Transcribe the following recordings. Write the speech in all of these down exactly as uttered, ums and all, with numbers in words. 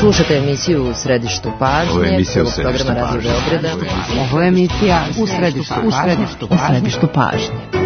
Slušate emisiju U središtu pažnje, Ovo je emisija U središtu programa Radio Beograda. Ovo je emisija U središtu pažnje. U središtu pažnje.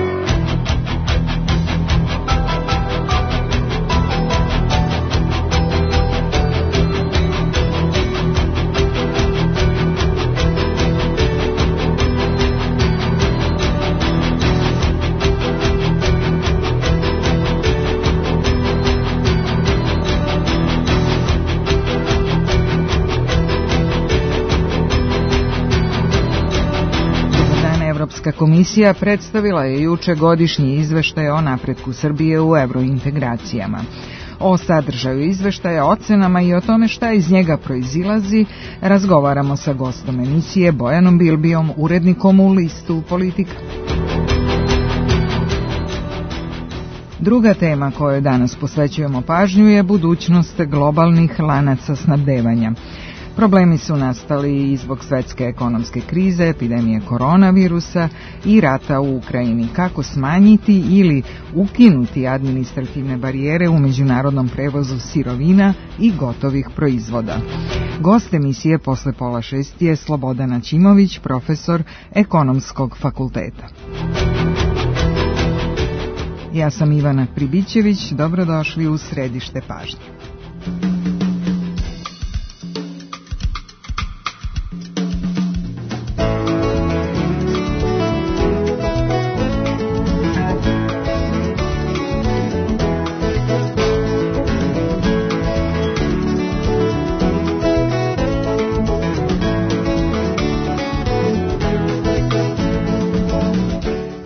Evropska komisija predstavila je juče godišnji izveštaj o napretku Srbije u evrointegracijama. O sadržaju izveštaja, ocenama i o tome šta iz njega proizilazi razgovaramo sa gostom emisije Bojanom Bilbijom, urednikom u listu Politika. Druga tema kojoj danas posvećujemo pažnju je budućnost globalnih lanaca snabdevanja. Problemi su nastali i zbog svetske ekonomske krize, epidemije koronavirusa i rata u Ukrajini. Kako smanjiti ili ukinuti administrativne barijere u međunarodnom prevozu sirovina i gotovih proizvoda? Gost emisije posle pola šest je Slobodan Ćimović, profesor Ekonomskog fakulteta. Ja sam Ivana Pribićević, dobrodošli u središte pažnje.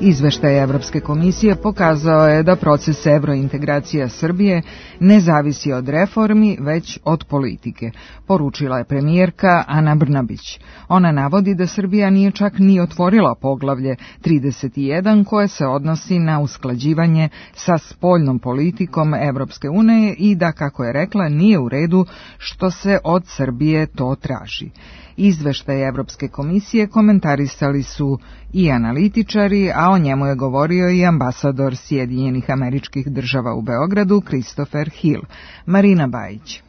Izveštaj Evropske komisije pokazao je da proces evrointegracija Srbije ne zavisi od reformi, već od politike, poručila je premijerka Ana Brnabić. Ona navodi da Srbija nije čak ni otvorila poglavlje trideset jedan koje se odnosi na usklađivanje sa spoljnom politikom Evropske unije i da, kako je rekla, nije u redu što se od Srbije to traži. Izveštaj Evropske komisije komentarisali su i analitičari, a o njemu je govorio i ambasador Sjedinjenih Američkih Država u Beogradu, Christopher Hill. Marina Bajić.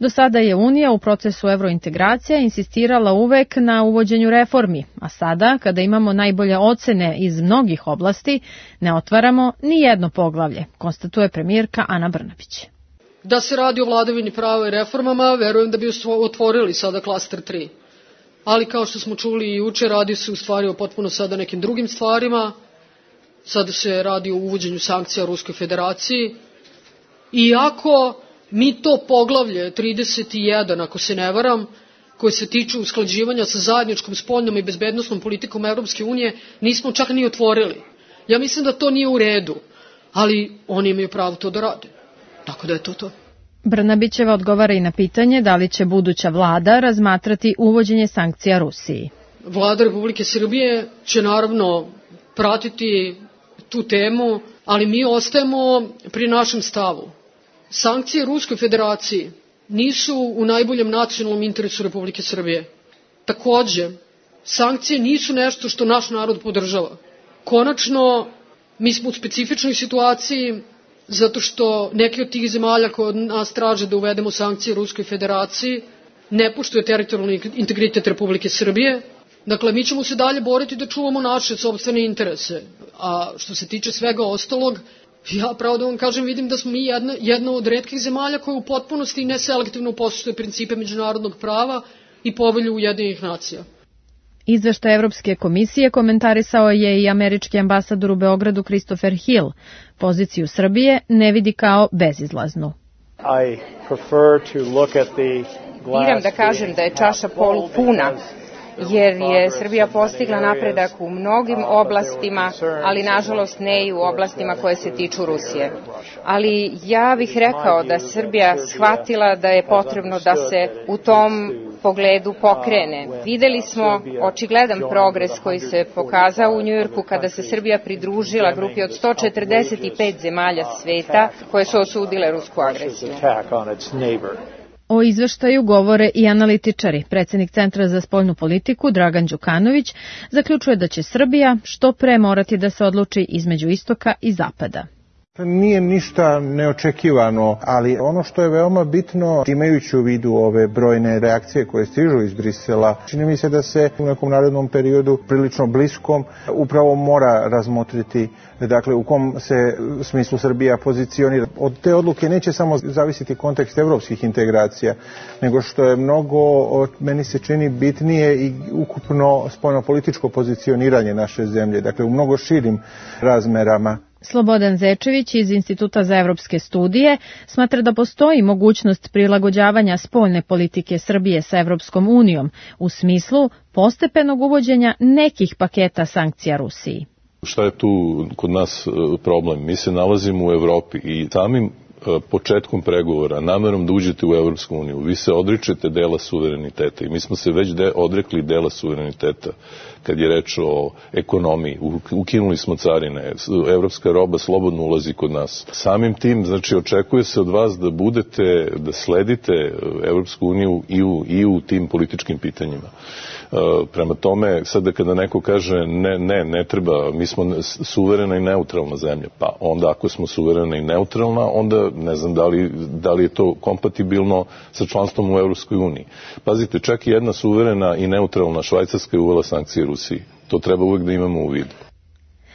Do sada je Unija u procesu evrointegracija insistirala uvek na uvođenju reformi, a sada, kada imamo najbolje ocene iz mnogih oblasti, ne otvaramo ni jedno poglavlje, konstatuje premijerka Ana Brnabić. Da se radi o vladavini prava i reformama, verujem da bi otvorili sada klaster tri. Ali kao što smo čuli i juče, radi se u stvari o potpuno sada nekim drugim stvarima. Sada se radi o uvođenju sankcija Ruskoj federaciji. Iako mi to poglavlje trideset jedan, ako se ne varam, koje se tiču usklađivanja sa zajedničkom spoljnom i bezbednosnom politikom Evropske unije, nismo čak ni otvorili. Ja mislim da to nije u redu, ali oni imaju pravo to da rade. Tako da je to to. Brnabićeva odgovara i na pitanje da li će buduća vlada razmatrati uvođenje sankcija Rusiji. Vlada Republike Srbije će naravno pratiti tu temu, ali mi ostajemo pri našem stavu. Sankcije Ruskoj federaciji nisu u najboljem nacionalnom interesu Republike Srbije. Takođe, sankcije nisu nešto što naš narod podržava. Konačno, mi smo u specifičnoj situaciji zato što neki od tih zemalja koje od nas traže da uvedemo sankcije Ruskoj federaciji ne poštuje teritorijalni integritet Republike Srbije. Dakle, mi ćemo se dalje boriti da čuvamo naše sopstvene interese. A što se tiče svega ostalog, ja pravo da vam kažem, vidim da smo mi jedna, jedna od retkih zemalja koja u potpunosti i neselektivno poštuje principe međunarodnog prava i povelju Ujedinjenih nacija. Izveštaj Evropske komisije komentarisao je i američki ambasador u Beogradu Christopher Hill. Poziciju Srbije ne vidi kao bezizlaznu. Biram da kažem da je čaša polupuna, jer je Srbija postigla napredak u mnogim oblastima, ali nažalost ne i u oblastima koje se tiču Rusije. Ali ja bih rekao da Srbija shvatila da je potrebno da se u tom pogledu pokrene. Videli smo očigledan progres koji se pokazao u Njujorku kada se Srbija pridružila grupi od sto četrdeset pet zemalja sveta koje su osudile rusku agresiju. O izveštaju govore i analitičari. Predsjednik Centra za spoljnu politiku Dragan Đukanović zaključuje da će Srbija što pre morati da se odluči između istoka i zapada. Nije ništa neočekivano, ali ono što je veoma bitno, imajući u vidu ove brojne reakcije koje stižu iz Brisela, čini mi se da se u nekom narednom periodu prilično bliskom upravo mora razmotriti, dakle u kom se smislu Srbija pozicionira. Od te odluke neće samo zavisiti kontekst evropskih integracija, nego što je mnogo, meni se čini, bitnije i ukupno spoljnopolitičko pozicioniranje naše zemlje, dakle u mnogo širim razmerama. Slobodan Zečević iz Instituta za evropske studije smatra da postoji mogućnost prilagođavanja spoljne politike Srbije sa Evropskom unijom u smislu postepenog uvođenja nekih paketa sankcija Rusiji. Šta je tu kod nas problem? Mi se nalazimo u Evropi i samim početkom pregovora, namerom da uđete u Evropsku uniju, vi se odričete dela suvereniteta i mi smo se već de, odrekli dela suvereniteta kad je reč o ekonomiji. Ukinuli smo carine, evropska roba slobodno ulazi kod nas. Samim tim, znači, očekuje se od vas da budete, da sledite Evropsku uniju i u, i u tim političkim pitanjima. Prema tome, sada kada neko kaže ne, ne, ne treba, mi smo suverena i neutralna zemlja, pa onda ako smo suverena i neutralna, onda ne znam da li, da li je to kompatibilno sa članstvom u Evropskoj uniji. Pazite, čak i jedna suverena i neutralna Švajcarska je uvela sankcije Rusiji. To treba uvek da imamo u vidu.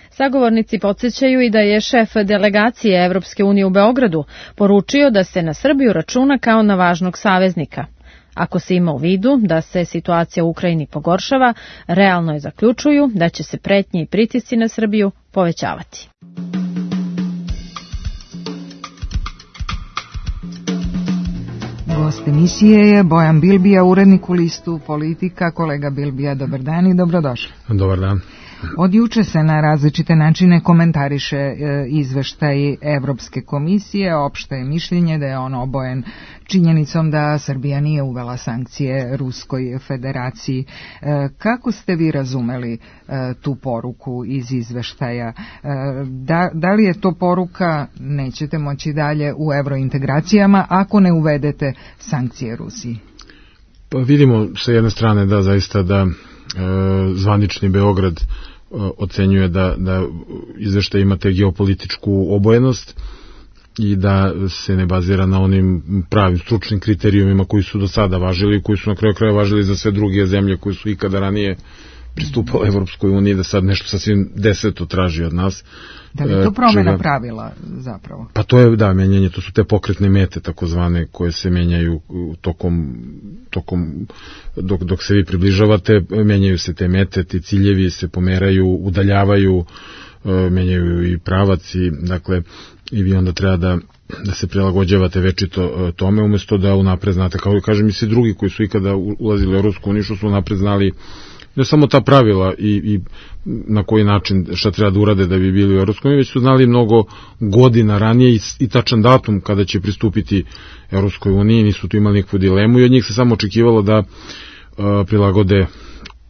Sagovornici podsjećaju i da je šef delegacije Evropske unije u Beogradu poručio da se na Srbiju računa kao na važnog saveznika. Ako se ima u vidu da se situacija u Ukrajini pogoršava, realno je zaključuju da će se pretnje i pritisci na Srbiju povećavati. Gost emisije je Bojan Bilbija, urednik u listu Politika. Kolega Bilbija, dobar dan i dobrodošli. Dobar dan. Od juče se na različite načine komentariše e, izveštaj Evropske komisije. Opšte je mišljenje da je on obojen činjenicom da Srbija nije uvela sankcije Ruskoj federaciji. E, kako ste vi razumeli e, tu poruku iz izveštaja? E, da, da li je to poruka nećete moći dalje u evrointegracijama ako ne uvedete sankcije Rusiji? Pa vidimo sa jedne strane da zaista da e, zvanični Beograd ocenjuje da, da izveštaj ima te geopolitičku obojenost i da se ne bazira na onim pravim stručnim kriterijumima koji su do sada važili i koji su na kraju kraja važili za sve druge zemlje koji su ikada ranije pristupale Evropskoj uniji, da sad nešto sasvim deseto traži od nas. Da li je to promjena pravila zapravo? Pa to je, da, menjanje, to su te pokretne mete takozvane koje se menjaju tokom, tokom dok, dok se vi približavate, menjaju se te mete, ti ciljevi se pomeraju, udaljavaju, menjaju i pravac i dakle i vi onda treba da, da se prilagođavate večito tome, umjesto da unapred znate, kao i kažem i svi drugi koji su ikada ulazili u Evropsku uniju, što su unapred znali ne samo ta pravila i, i na koji način šta treba da urade da bi bili u Evropskoj uniji, već su znali mnogo godina ranije i, i tačan datum kada će pristupiti Evropskoj uniji, nisu tu imali nikakvu dilemu i od njih se samo očekivalo da uh, prilagode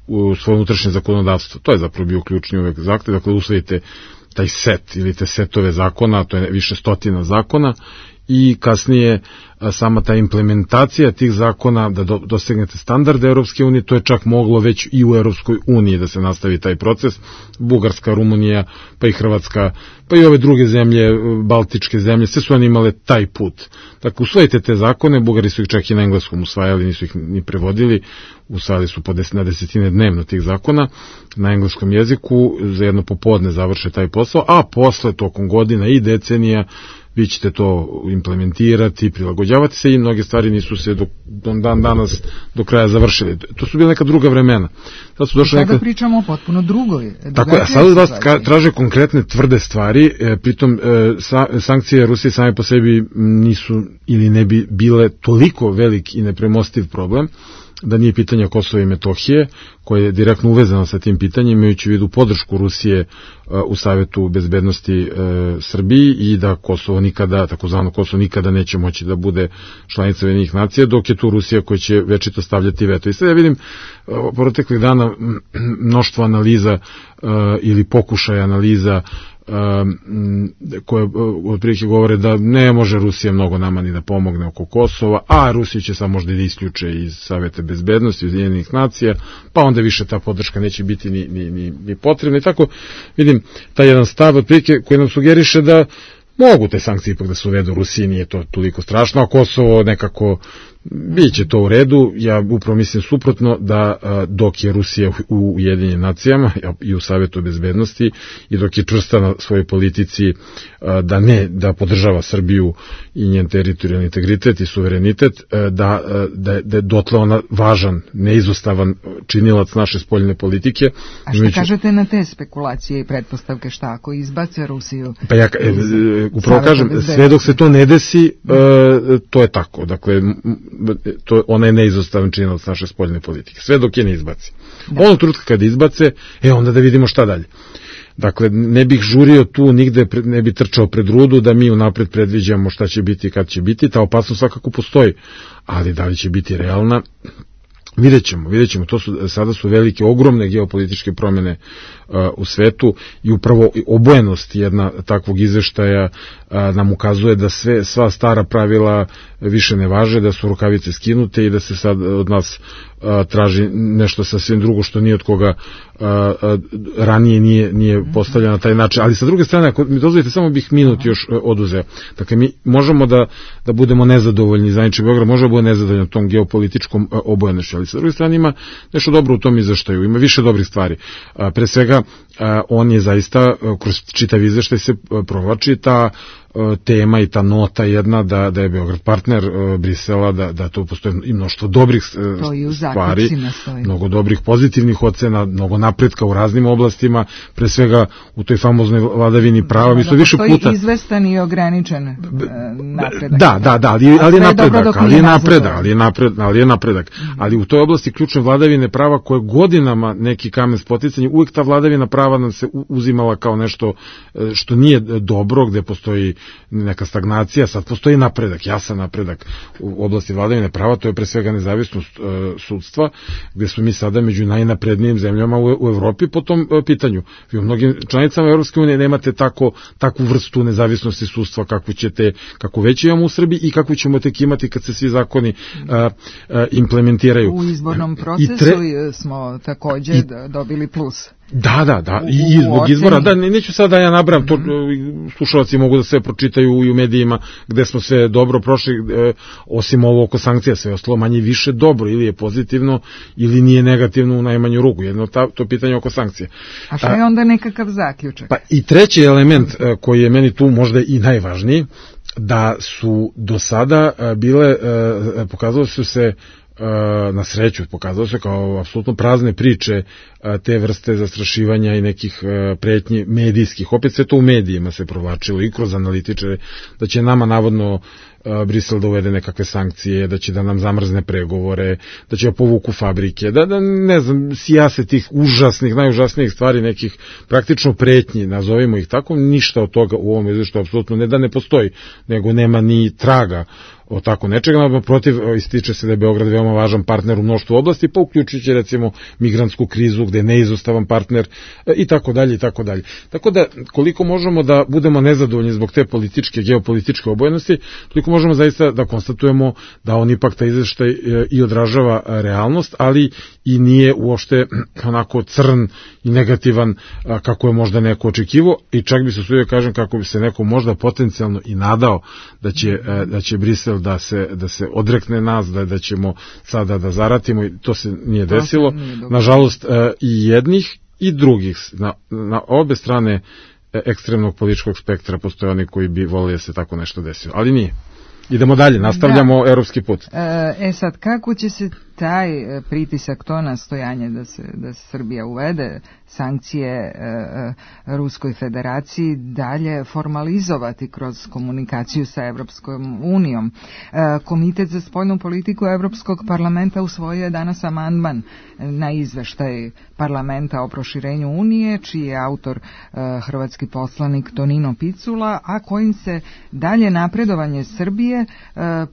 u svoje unutrašnje zakonodavstvo. To je zapravo bio ključni uvek zahtev, dakle usvojite taj set ili te setove zakona, to je više stotina zakona i kasnije sama ta implementacija tih zakona da do, dosegnete standarde Evropske unije, to je čak moglo već i u Evropskoj uniji da se nastavi taj proces. Bugarska, Rumunija, pa i Hrvatska, pa i ove druge zemlje, baltičke zemlje, sve su oni imale taj put. Dakle, usvojite te zakone, Bugari su ih čak i na engleskom usvajali, nisu ih ni prevodili, usvajali su po deset, na desetine dnevno tih zakona na engleskom jeziku, za jedno popodne završe taj posao, a posle tokom godina i decenija vi ćete to implementirati, prilagođavati se i mnoge stvari nisu se do, do dan danas do kraja završili. To su bile neka druga vremena. Sad su došle sada neka... pričamo o potpuno drugoj. Tako je, a sad vas traže konkretne tvrde stvari, e, pritom e, sa, sankcije Rusije same po sebi nisu ili ne bi bile toliko velik i nepremostiv problem, da nije pitanja Kosova i Metohije, koje je direktno uvezano sa tim pitanjem, imajući u vidu podršku Rusije uh, u Savetu bezbednosti uh, Srbiji i da Kosovo nikada, takozvano Kosovo nikada neće moći da bude članica Ujedinjenih nacija, dok je tu Rusija koja će večito stavljati veto. I sad ja vidim uh, proteklih dana mnoštvo analiza uh, ili pokušaja analiza koje otprilike govore da ne može Rusija mnogo nama ni da pomogne oko Kosova, a Rusija će samo možda da isključe iz Saveta bezbednosti Ujedinjenih nacija, pa onda više ta podrška neće biti ni, ni, ni, ni potrebna. I tako vidim taj jedan stav otprilike koji nam sugeriše da Mogu te sankcije ipak da se uvedu, Rusiji nije to toliko strašno, a Kosovo nekako biće to u redu. Ja upravo mislim suprotno, da dok je Rusija u Ujedinjenim nacijama i u Savetu bezbednosti i dok je čvrsta na svojoj politici da ne, da podržava Srbiju i njen teritorijalni integritet i suverenitet, da, da, da je dotle ona važan, neizostavan činilac naše spoljne politike. A šta kažete na te spekulacije i pretpostavke, šta ako izbace Rusiju? Pa ja upravo kažem, sve dok se to ne desi, to je tako. Dakle, to, ona je neizostavan činilac naše spoljne politike. Sve dok je ne izbaci. Da. Onog trenutka kad izbace, e onda da vidimo šta dalje. Dakle, ne bih žurio tu, nigde ne bi trčao pred rudu da mi unapred predviđamo šta će biti i kad će biti. Ta opasnost svakako postoji, ali da li će biti realna, vidjet ćemo, vidjet ćemo. To su, sada su velike, ogromne geopolitičke promene uh, u svetu i upravo obojenost jedna takvog izveštaja uh, nam ukazuje da sve, sva stara pravila više ne važe, da su rukavice skinute i da se sad od nas uh, traži nešto sasvim drugo što nije od koga uh, uh, ranije nije, nije postavljeno na taj način. Ali sa druge strane, ako mi dozvolite, samo bih minut još uh, oduzeo. Dakle, mi možemo da, da budemo nezadovoljni, Zvanični Beograd može da bude nezadovoljno tom geopolitičkom uh, obojenošću, ali sa druge strane ima nešto dobro u tom izveštaju, ima više dobrih stvari. Uh, pre svega, uh, on je zaista, uh, kroz čitav izveštaj se uh, provlači ta tema i ta nota jedna da, da je Beograd partner uh, Brisela, da, da to postoje i mnoštvo dobrih uh, stvari, mnogo dobrih pozitivnih ocena, mnogo napretka u raznim oblastima, pre svega u toj famoznoj vladavini prava. Mi smo više puta... Postoji izvestan i ograničen uh, napredak. Da, da, da, ali, ali je napredak, ali je napredak, ali je napredak, ali je napredak. Ali u toj oblasti ključne vladavine prava koje godinama neki kamen spoticanja, uvijek ta vladavina prava nam se uzimala kao nešto što nije dobro, gde postoji neka stagnacija, sad postoji napredak, jasan napredak u oblasti vladavine prava, to je pre svega nezavisnost e, sudstva, gde smo mi sada među najnaprednijim zemljama u, u Evropi po tom e, pitanju. Vi u mnogim članicama Evropske unije nemate tako, takvu vrstu nezavisnosti sudstva kakvu ćete, kako već imamo u Srbiji i kakvu ćemo tek imati kad se svi zakoni e, e, implementiraju. U izbornom procesu tre... smo takođe I... dobili plus. Da, da, da, i zbog izbora, da, neću sada da ja nabram, to slušalci mogu da sve pročitaju i u medijima gde smo sve dobro prošli, e, osim ovo oko sankcija, sve ostalo manje više dobro, ili je pozitivno, ili nije negativno u najmanju ruku, jedno ta, to pitanje oko sankcija. A što je onda nekakav zaključak? Pa i treći element e, koji je meni tu možda i najvažniji, da su do sada e, bile, e, pokazalo su se na sreću, pokazalo se kao apsolutno prazne priče te vrste zastrašivanja i nekih pretnji medijskih. Opet sve to u medijima se provlačilo i kroz analitičare, da će nama navodno Brisel da uvede nekakve sankcije, da će da nam zamrzne pregovore, da će da povuku fabrike, da, da ne znam, sijase tih užasnih, najužasnijih stvari, nekih praktično pretnji, nazovimo ih tako, ništa od toga u ovom izveštaju apsolutno ne da ne postoji, nego nema ni traga o tako nečega, no protiv ističe se da je Beograd veoma važan partner u mnoštvu oblasti, pa uključujući recimo migrantsku krizu gde je neizostavan partner i tako dalje i tako dalje. Tako da koliko možemo da budemo nezadovoljni zbog te političke, geopolitičke obojenosti, toliko možemo zaista da konstatujemo da on ipak taj izveštaj i odražava realnost, ali i nije uopšte onako crn i negativan kako je možda neko očekivao, i čak bi se usudio kažem kako bi se neko možda potencijalno i nadao da će, da će Brisel da se, da se odrekne nas, da, da ćemo sada da zaratimo, i to se nije desilo. Nažalost, i jednih i drugih, na, na obe strane ekstremnog političkog spektra postoje oni koji bi volili da se tako nešto desilo, ali nije. Idemo dalje, nastavljamo da. Evropski put. E sad, kako će se taj pritisak, to nastojanje da se, da se Srbija uvede sankcije e, Ruskoj federaciji dalje formalizovati kroz komunikaciju sa Evropskom unijom? E, Komitet za spoljnu politiku Evropskog parlamenta usvojio je danas amandman na izveštaj parlamenta o proširenju Unije, čiji je autor e, hrvatski poslanik Tonino Picula, a kojim se dalje napredovanje Srbije e,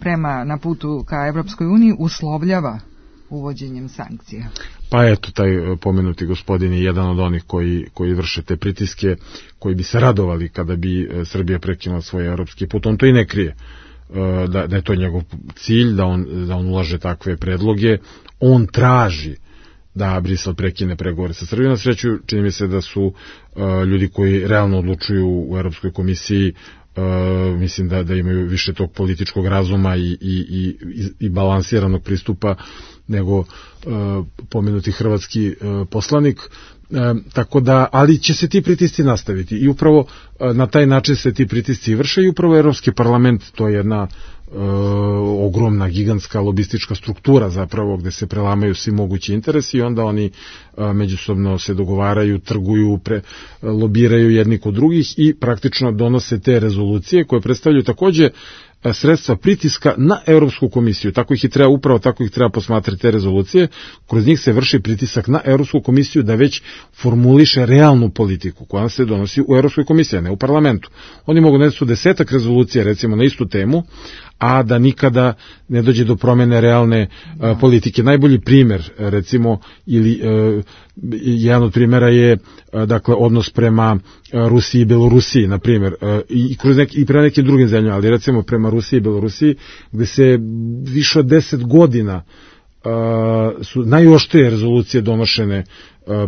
prema na putu ka Evropskoj uniji uslovljava uvođenjem sankcija. Pa eto, taj pomenuti gospodin je jedan od onih koji, koji vrše te pritiske, koji bi se radovali kada bi Srbija prekinula svoj evropski put. On to i ne krije, da, da je to njegov cilj, da on, da on ulaže takve predloge. On traži da Brisel prekine pregovore sa Srbijom. Na sreću, čini mi se da su uh, ljudi koji realno odlučuju u Evropskoj komisiji Uh, mislim da, da imaju više tog političkog razuma i, i, i, i balansiranog pristupa nego uh, pomenuti hrvatski uh, poslanik. E, tako da, ali će se ti pritisci nastaviti i upravo e, na taj način se ti pritisci vrše i upravo Evropski parlament, to je jedna e, ogromna, gigantska lobistička struktura zapravo gde se prelamaju svi mogući interesi i onda oni e, međusobno se dogovaraju, trguju, pre, lobiraju jedni kod drugih i praktično donose te rezolucije koje predstavljaju takođe sredstva pritiska na Europsku komisiju. Tako ih i treba, upravo tako ih treba posmatrati te rezolucije. Kroz njih se vrši pritisak na Europsku komisiju da već formuliše realnu politiku koja se donosi u Europskoj komisiji, a ne u parlamentu. Oni mogu da su desetak rezolucija recimo na istu temu, a da nikada ne dođe do promene realne a, politike. Najbolji primer, recimo, ili a, jedan od primjera je a, dakle odnos prema a, Rusiji i Belorusiji, na primjer, a, i, kroz neki, i prema nekim drugim zemljama, ali recimo prema Rusiji i Belorusiji, gde se više od deset godina a, su najoštrije rezolucije donošene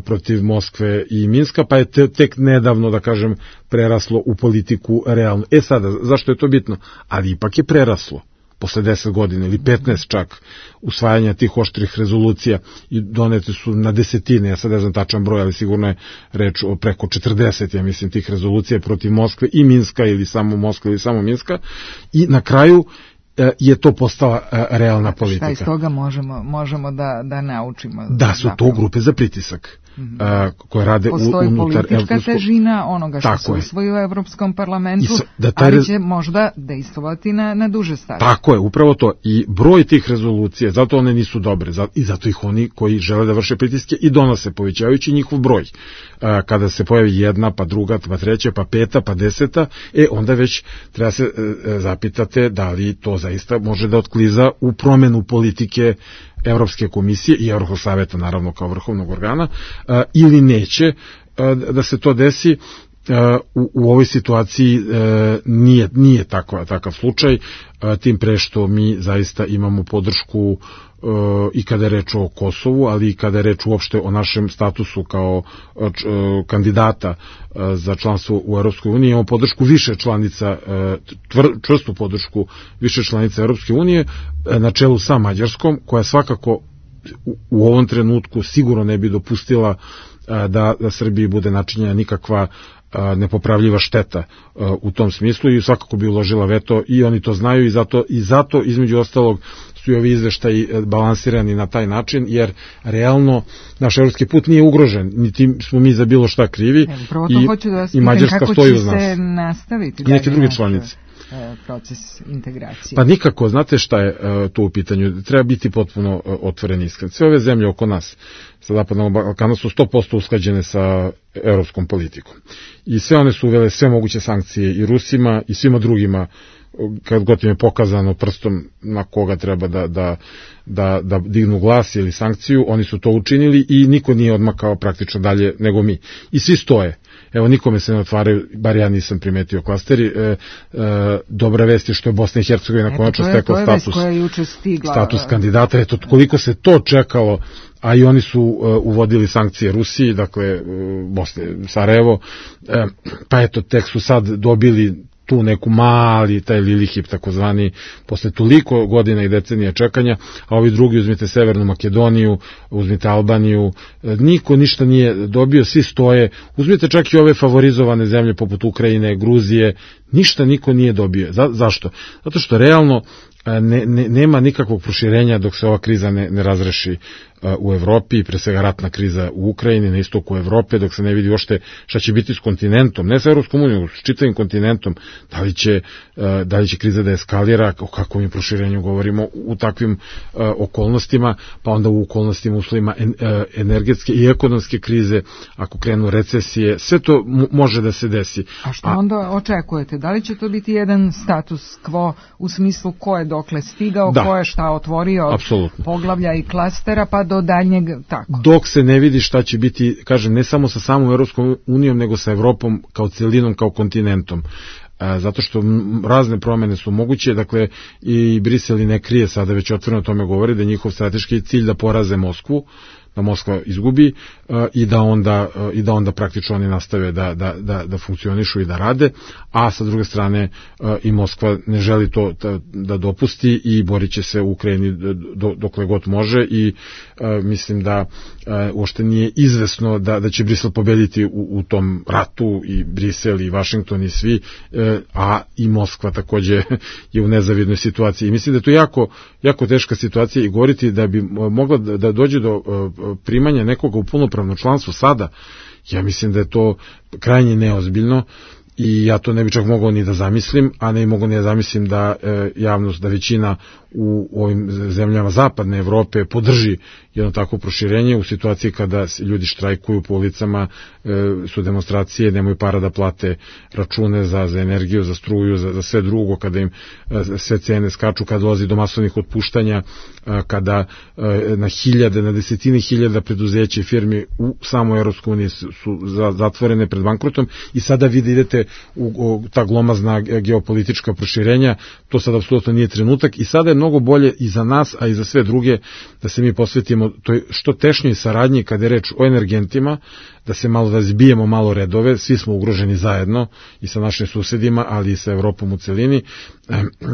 protiv Moskve i Minska, pa je te, tek nedavno, da kažem, preraslo u politiku realno. E sada, zašto je to bitno? Ali ipak je preraslo, posle deset godina ili petnaest čak, usvajanja tih oštrih rezolucija i donete su na desetine, ja sad ne znam tačan broj, ali sigurno je reč o preko četrdeset, ja mislim, tih rezolucija protiv Moskve i Minska ili samo Moskva ili samo Minska i na kraju je to postala realna politika. Šta iz toga možemo, možemo da, da naučimo? Da su zapravo to grupe za pritisak. Mm-hmm. a, koje rade postoji u, unutar politička Evropsko... težina onoga što se usvoji u Evropskom parlamentu, so, da taj... ali će možda dejstvovati na, na duže staze. Tako je, upravo to. I broj tih rezolucija, zato one nisu dobre, zato, i zato ih oni koji žele da vrše pritiske i donose, povećavajući njihov broj. A, kada se pojavi jedna, pa druga, pa treća, pa peta, pa deseta, e, onda već treba se e, zapitate da li to zaista može da otkliza u promenu politike Evropske komisije i Evropskog saveta, naravno, kao vrhovnog organa, a, ili neće a, da se to desi. A, u, u ovoj situaciji a, nije, nije takva, takav slučaj, a, tim pre što mi zaista imamo podršku a, i kada je reč o Kosovu, ali i kada je reč uopšte o našem statusu kao a, č, a, kandidata a, za članstvo u Evropskoj uniji. Imamo podršku više članica, a, tvr, čvrstu podršku više članica Evropske unije, a, na čelu sa Mađarskom, koja svakako u, u ovom trenutku sigurno ne bi dopustila a, da, da Srbiji bude načinjena nikakva nepopravljiva šteta u tom smislu i svakako bi uložila veto i oni to znaju i zato, i zato između ostalog su i ovi izveštaji balansirani na taj način, jer realno naš evropski put nije ugrožen, niti smo mi za bilo šta krivi. Evo, prvo to i, hoću da vas i Mađarska kako stoji će uz nas. Se nastaviti. I neke druge članice. Proces integracije. Pa nikako, znate šta je uh, tu u pitanju, treba biti potpuno uh, otvoren iskren. Sve ove zemlje oko nas sa Zapadnog Balkana su sto posto usklađene sa evropskom politikom. I sve one su uvele sve moguće sankcije i Rusima i svima drugima, kad god im je pokazano prstom na koga treba da, da, da, da dignu glas ili sankciju, oni su to učinili i niko nije odmakao praktično dalje nego mi. I svi stoje. Evo, nikome se ne otvaraju, bar ja nisam primetio klasteri. E, e, dobra vest je što je Bosna i Hercegovina konačno stekla status, status kandidata. Eto, koliko se to čekalo, a i oni su uh, uvodili sankcije Rusiji, dakle, uh, Bosne, Sarajevo, uh, pa eto, tek su sad dobili tu neku mali, taj Lilihip takozvani, posle toliko godina i decenija čekanja, a ovi drugi, uzmite Severnu Makedoniju, uzmite Albaniju, niko ništa nije dobio, svi stoje, uzmite čak i ove favorizovane zemlje poput Ukrajine, Gruzije, ništa niko nije dobio. Za, zašto? Zato što realno ne, ne, nema nikakvog proširenja dok se ova kriza ne, ne razreši u Evropi, pre svega ratna kriza u Ukrajini, na istoku Evrope, dok se ne vidi uopšte šta će biti s kontinentom, ne sa Evropskom unijom, s čitavim kontinentom, da li će, da li će kriza da eskalira, o kakvom je proširenju govorimo u takvim okolnostima, pa onda u okolnostima uslovima energetske i ekonomske krize, ako krenu recesije, sve to može da se desi. A što onda očekujete? Da li će to biti jedan status quo u smislu ko je dokle stigao, da, ko je šta otvorio, apsolutno, poglavlja i klastera, pa do daljnjeg tako? Dok se ne vidi šta će biti, kažem, ne samo sa samom Evropskom unijom, nego sa Evropom kao celinom, kao kontinentom. Zato što razne promene su moguće, dakle i Brisel ne krije, sada već otvoreno o tome govori, da je njihov strateški cilj da poraze Moskvu, da Moskva izgubi i da onda i da onda praktično oni nastave da da da da funkcionišu i da rade, a sa druge strane i Moskva ne želi to da, da dopusti i boriće se u Ukrajini do, dokle god može i mislim da uopšte nije izvesno da da će Brisel pobediti u, u tom ratu, i Brisel i Vašington i svi, a i Moskva takođe je u nezavidnoj situaciji. I mislim da je to jako, jako teška situacija i govoriti da bi mogla da dođe do primanja nekoga u punopravno članstvo sada, ja mislim da je to krajnje neozbiljno i ja to ne bi čak mogao ni da zamislim, a ne mogu ni da zamislim da e, javnost, da većina u ovim zemljama zapadne Evrope podrži jedno takvo proširenje u situaciji kada ljudi štrajkuju po ulicama, e, su demonstracije, nemaju para da plate račune za, za energiju, za struju, za, za sve drugo, kada im e, sve cene skaču, kada dolazi do masovnih otpuštanja, e, kada e, na hiljade, na desetine hiljada preduzeća i firmi u samoj Evropskoj uniji su, su zatvorene pred bankrotom i sada vi da idete u, u ta glomazna geopolitička proširenja, to sad apsolutno nije trenutak i sada je mnogo bolje i za nas, a i za sve druge da se mi posvetimo toj što tešnjoj saradnji kada je reč o energentima, da se malo da zbijemo malo redove, svi smo ugroženi zajedno i sa našim susedima, ali i sa Evropom u celini,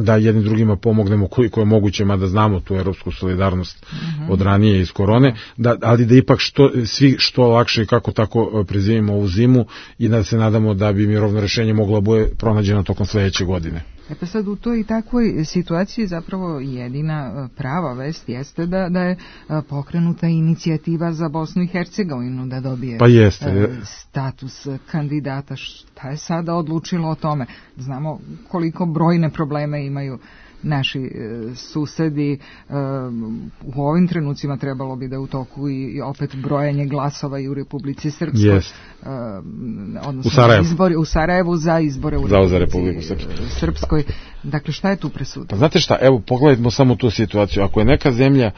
da jednim drugima pomognemo koliko je moguće, mada znamo tu evropsku solidarnost mm-hmm. od ranije iz korone, da, ali da ipak što, svi što lakše i kako tako prezimimo ovu zimu i da se nadamo da bi mirovno rešenje moglo bude pronađeno tokom sledeće godine. E pa sad u toj i takvoj situaciji zapravo jedina prava vest jeste da, da je pokrenuta inicijativa za Bosnu i Hercegovinu da dobije pa jeste. status kandidata. Šta je sada odlučilo o tome? Znamo koliko brojne probleme imaju naši e, susedi. E, u ovim trenucima trebalo bi da u toku i, i opet brojanje glasova i u Republici Srpskoj. Yes. E, odnosno u Sarajevu. Izbori, u Sarajevu za izbore u za, Republici za Republiku Srpskoj. Srpskoj. Dakle, šta je tu presudno? Pa znate šta, evo pogledajmo samo tu situaciju. Ako je neka zemlja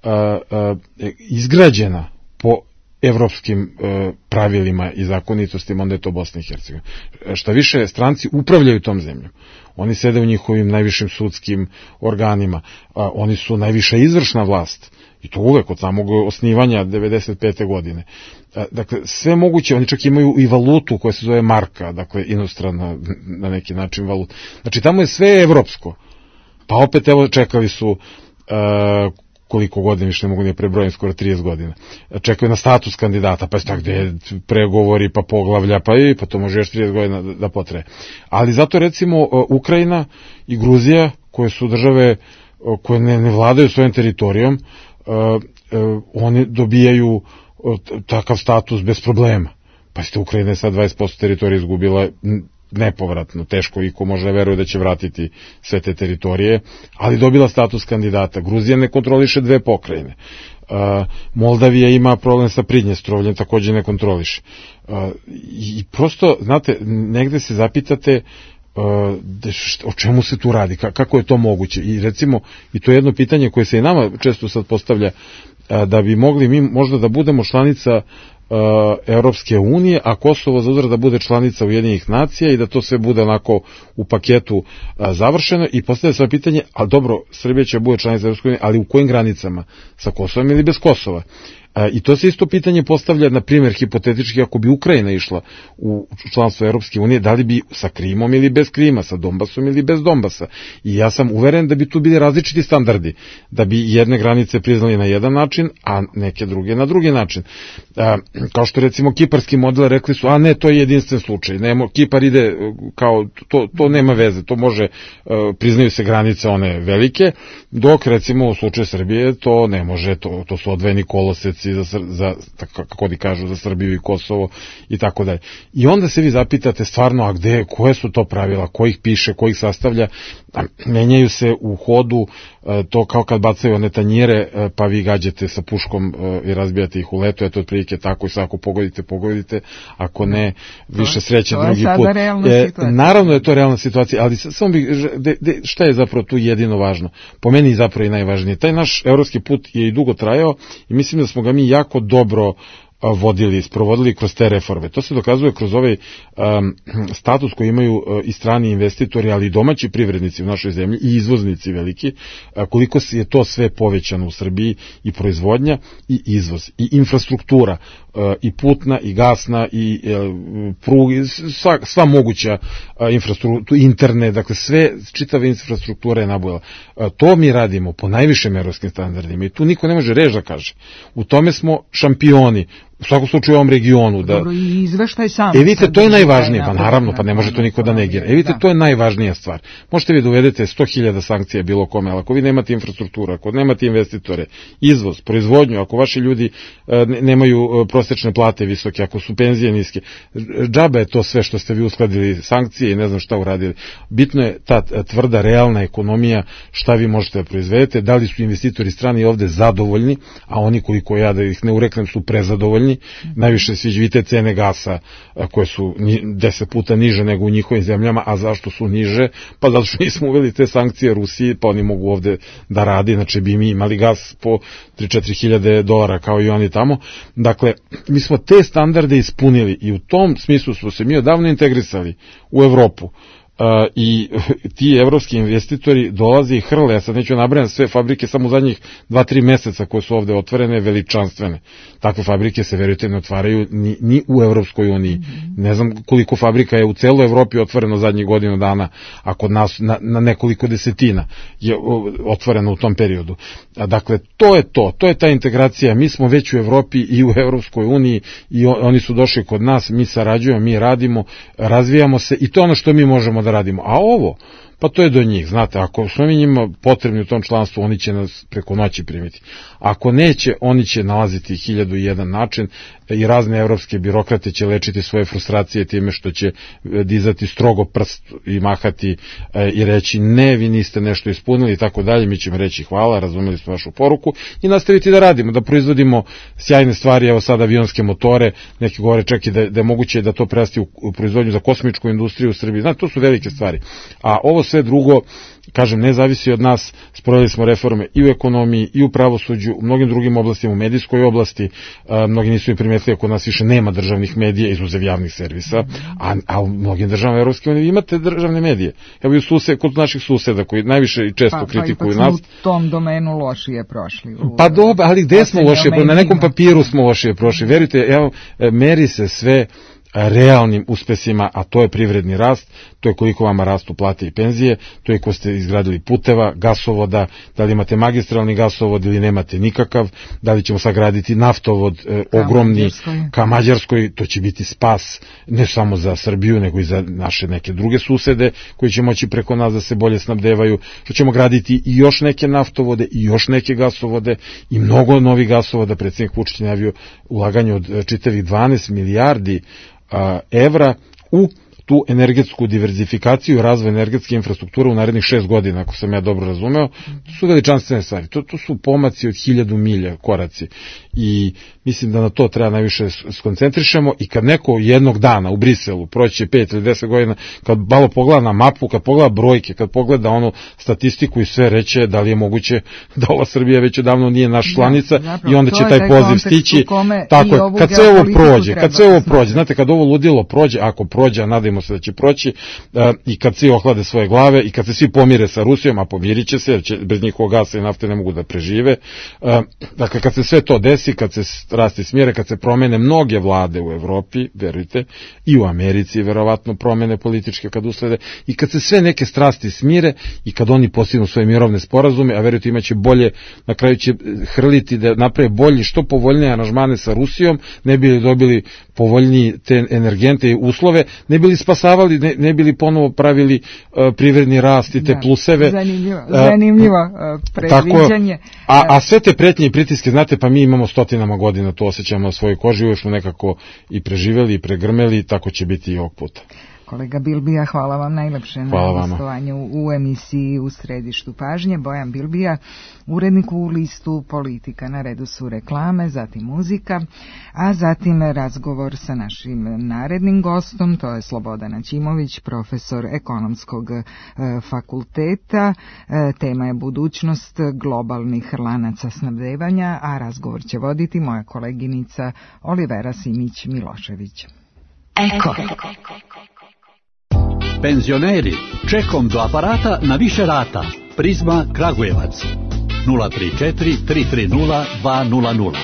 uh, uh, izgrađena po evropskim uh, pravilima i zakonitostima, onda je to Bosna i Hercegovina. Šta više, stranci upravljaju tom zemljom. Oni sede u njihovim najvišim sudskim organima. A, oni su najviša izvršna vlast. I to uvek od samog osnivanja devedeset pete godine. A, dakle, sve moguće, oni čak imaju i valutu koja se zove marka, dakle, inostrana na neki način valuta. Znači, tamo je sve evropsko. Pa opet, evo, čekali su a, koliko godina, više ne mogu ne prebrojim, skoro trideset godina. Čekaju na status kandidata, pa je tako gde pregovori, pa poglavlja, pa i pa to može još trideset godina da, da potraje. Ali zato recimo Ukrajina i Gruzija, koje su države koje ne, ne vladaju svojim teritorijom, uh, uh, oni dobijaju uh, takav status bez problema. Pa ste Ukrajina je sad dvadeset posto teritorije izgubila nepovratno, teško i ko može da veruje da će vratiti sve te teritorije, ali dobila status kandidata. Gruzija ne kontroliše dve pokrajine. Uh, Moldavija ima problem sa Pridnjestrovljem, takođe ne kontroliše. Uh, I prosto, znate, negde se zapitate uh, o čemu se tu radi, kako je to moguće. I recimo, i to je jedno pitanje koje se i nama često sad postavlja, uh, da bi mogli mi možda da budemo članica Evropske unije, a Kosovo za uzvrat da bude članica Ujedinjenih nacija i da to sve bude onako u paketu a, završeno i postavlja se pitanje, a dobro, Srbija će bude članica Evropske unije, ali u kojim granicama? Sa Kosovom ili bez Kosova? A, I to se isto pitanje postavlja, na primjer, hipotetički, ako bi Ukrajina išla u članstvo Evropske unije, da li bi sa Krimom ili bez Krima, sa Donbasom ili bez Donbasa. I ja sam uveren da bi tu bili različiti standardi, da bi jedne granice priznali na jedan način, a neke druge na drugi način. A, kao što recimo kiparski model rekli su, a ne, to je jedinstven slučaj, nemo, Kipar ide kao, to, to nema veze, to može, priznaju se granice one velike, dok recimo u slučaju Srbije to ne može, to, to su odvojeni koloseci za, za, kako di kažu, za Srbiju i Kosovo i tako dalje. I onda se vi zapitate stvarno, a gde, koje su to pravila, ko ih piše, ko ih sastavlja, menjaju se u hodu, to kao kad bacaju one tanjire, pa vi gađate sa puškom i razbijate ih u letu, eto otprilike tako i sad ako pogodite, pogodite, ako ne, više sreće drugi put. E, naravno je to realna situacija, ali samo bih, de, de, šta je zapravo tu jedino važno? Po meni zapravo i najvažnije. Taj naš evropski put je i dugo trajao i mislim da smo ga mi jako dobro vodili, sprovodili kroz te reforme. To se dokazuje kroz ovaj um, status koji imaju uh, i strani investitori, ali i domaći privrednici u našoj zemlji i izvoznici veliki, uh, koliko je to sve povećano u Srbiji, i proizvodnja i izvoz i infrastruktura, uh, i putna i gasna i uh, prugi, sva, sva moguća uh, infrastruktura, internet, dakle sve, čitava infrastruktura je nabujala. Uh, to mi radimo po najvišim evropskim standardima i tu niko ne može reći da kaže. U tome smo šampioni, u svakom slučaju u ovom regionu. Da... Dobro, i izveštaj sam. E vidite, to je najvažnije, pa naravno, pa ne može to niko da negira. E vidite, to je najvažnija stvar. Možete vi da uvedete sto hiljada sankcija bilo kome, ali ako vi nemate infrastrukturu, ako nemate investitore, izvoz, proizvodnju, ako vaši ljudi e, nemaju prosečne plate visoke, ako su penzije niske, džabe je to sve što ste vi uskladili sankcije i ne znam šta uradili. Bitno je ta tvrda, realna ekonomija, šta vi možete da proizvedete, da li su investitori strani ovde zadovoljni, a oni koliko ja da ih ne ureknem su prezadovoljni. Najviše sviđa vidite cene gasa koje su deset puta niže nego u njihovim zemljama, a zašto su niže? Pa zato što nismo uveli te sankcije Rusiji, pa oni mogu ovde da radi, znači bi mi imali gas po tri do četiri hiljade dolara kao i oni tamo. Dakle, mi smo te standarde ispunili i u tom smislu smo se mi odavno integrisali u Evropu. Uh, i ti evropski investitori dolaze i hrle, ja sad neću nabrajam sve fabrike samo u zadnjih dva tri meseca koje su ovde otvorene, veličanstvene. Takve fabrike se, verujte, ne otvaraju ni, ni u Evropskoj uniji. Mm-hmm. Ne znam koliko fabrika je u celoj Evropi otvoreno zadnjih godinu dana, a kod nas na, na nekoliko desetina je otvoreno u tom periodu. A dakle, to je to, to je ta integracija. Mi smo već u Evropi i u Evropskoj uniji i oni su došli kod nas, mi sarađujemo, mi radimo, razvijamo se i to je ono što mi možemo da radimo. A ovo, pa to je do njih, znate, ako smo mi njima potrebni u tom članstvu, oni će nas preko noći primiti. Ako neće, oni će nalaziti hiljadu i jedan način i razne evropske birokrate će lečiti svoje frustracije time što će dizati strogo prst i mahati e, i reći ne, vi niste nešto ispunili i tako dalje, mi ćemo reći hvala, razumeli smo vašu poruku i nastaviti da radimo, da proizvodimo sjajne stvari, evo sad avionske motore, neki govore čak i da, da je moguće da to prerasti u, u proizvodnju za kosmičku industriju u Srbiji, znate, to su velike stvari. A ovo sve drugo, kažem, ne zavisi od nas, sproveli smo reforme i u ekonomiji, i u pravosuđu, u mnogim drugim oblastima, u medijskoj oblasti, a, mnogi nisu i primetili, kod nas više nema državnih medija, izuzev javnih servisa, a, a u mnogim državama Evropske unije imate državne medije. Evo i u sused, kod naših suseda, koji najviše i često pa, kritikuju pa nas. Pa u tom domenu lošije prošli. U, pa dobro, ali gde smo lošije? Na nekom papiru smo lošije prošli. Verujte, evo, meri se sve realnim uspesima, a to je privredni rast, to je koliko vama rastu plate i penzije, to je ko ste izgradili puteva, gasovoda, da li imate magistralni gasovod ili nemate nikakav, da li ćemo sagraditi naftovod e, ogromni Mađarskoj. ka Mađarskoj, to će biti spas ne samo za Srbiju, nego i za naše neke druge susede koji će moći preko nas da se bolje snabdevaju, što ćemo graditi i još neke naftovode i još neke gasovode i mnogo novih gasovoda. Predsjednik Vučić najavio ulaganje od čitavih dvanaest milijardi evra u tu energetsku diverzifikaciju i razvoj energetske infrastrukture u narednih šest godina, ako sam ja dobro razumeo. To su veličanstvene stvari, to, to su pomaci od hiljadu milja, koraci. I mislim da na to treba najviše skoncentrišemo i kad neko jednog dana u Briselu proći pet ili deset godina, kad malo pogleda na mapu, kad pogleda brojke, kad pogleda ono statistiku i sve reće da li je moguće da ova Srbija već odavno nije naš članica, da, zapravo, i onda će taj poziv stići. Tako je, kad sve ovo prođe, kad sve ovo prođe, znate, kad ovo ludilo prođe, ako prođe, a nadajmo se da će proći, uh, i kad svi ohlade svoje glave i kad se svi pomire sa Rusijom, a pomirit će se, jer će, bez njihovog gasa i nafte ne mogu da prežive. Uh, dakle, kad se sve to desi, kad se strasti smjere, kad se promene mnoge vlade u Evropi, verujte, i u Americi verovatno promene političke kad uslede, i kad se sve neke strasti smire i kad oni postignu svoje mirovne sporazume, a verujte, imaće bolje, na kraju će hrliti da naprave bolji, što povoljnije aranžmane sa Rusijom, ne bi li dobili povoljniji te energente i uslove, ne bi li spasavali, ne, ne bi li ponovo pravili uh, privredni rast i te da, pluseve. Zanimljivo, zanimljivo uh, predviđanje. Tako, a, a sve te pretnje i pritiske, znate, pa mi imamo stotinama godina, to osjećamo na svojoj koži, uvijek smo nekako i preživeli i pregrmeli, tako će biti i ovog puta. Kolega Bilbija, hvala vam najlepše hvala na gostovanju u emisiji U središtu pažnje. Bojan Bilbija, urednik u listu Politika. Na redu su reklame, zatim muzika, a zatim razgovor sa našim narednim gostom, to je Slobodan Ćimović, profesor ekonomskog e, fakulteta. E, tema je budućnost globalnih lanaca snabdevanja, a razgovor će voditi moja koleginica Olivera Simić-Milošević. Eko. Penzioneri, čekom do aparata na više rata. Prizma Kragujevac. nula tri četiri tri tri nula dva nula nula.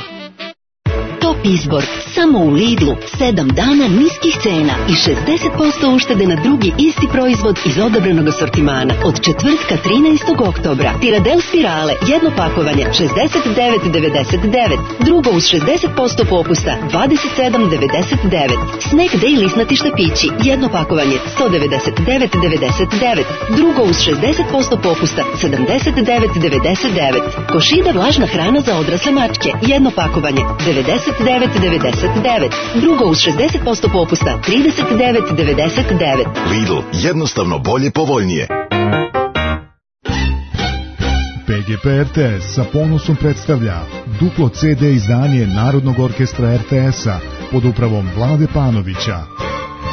Top izbor, samo u Lidlu, sedam dana niskih cena i šezdeset posto uštede na drugi isti proizvod iz odobrenog asortimana. Od četvrtka trinaestog oktobra. Tiradel spirale, jedno pakovanje, šezdeset devet devedeset devet. Drugo uz šezdeset posto popusta, dvadeset sedam devedeset devet. Snack Day lisnati štapići, jedno pakovanje, sto devedeset devet devedeset devet. Drugo uz šezdeset posto popusta, sedamdeset devet devedeset devet. Košida vlažna hrana za odrasle mačke, jedno pakovanje, devedeset devet devedeset devet. Drugo uz šezdeset posto popusta, trideset devet devedeset devet. Lidl, jednostavno bolje, povoljnije. P G P R T S sa ponosom predstavlja duplo C D izdanje Narodnog orkestra R T S-a pod upravom Vlade Panovića.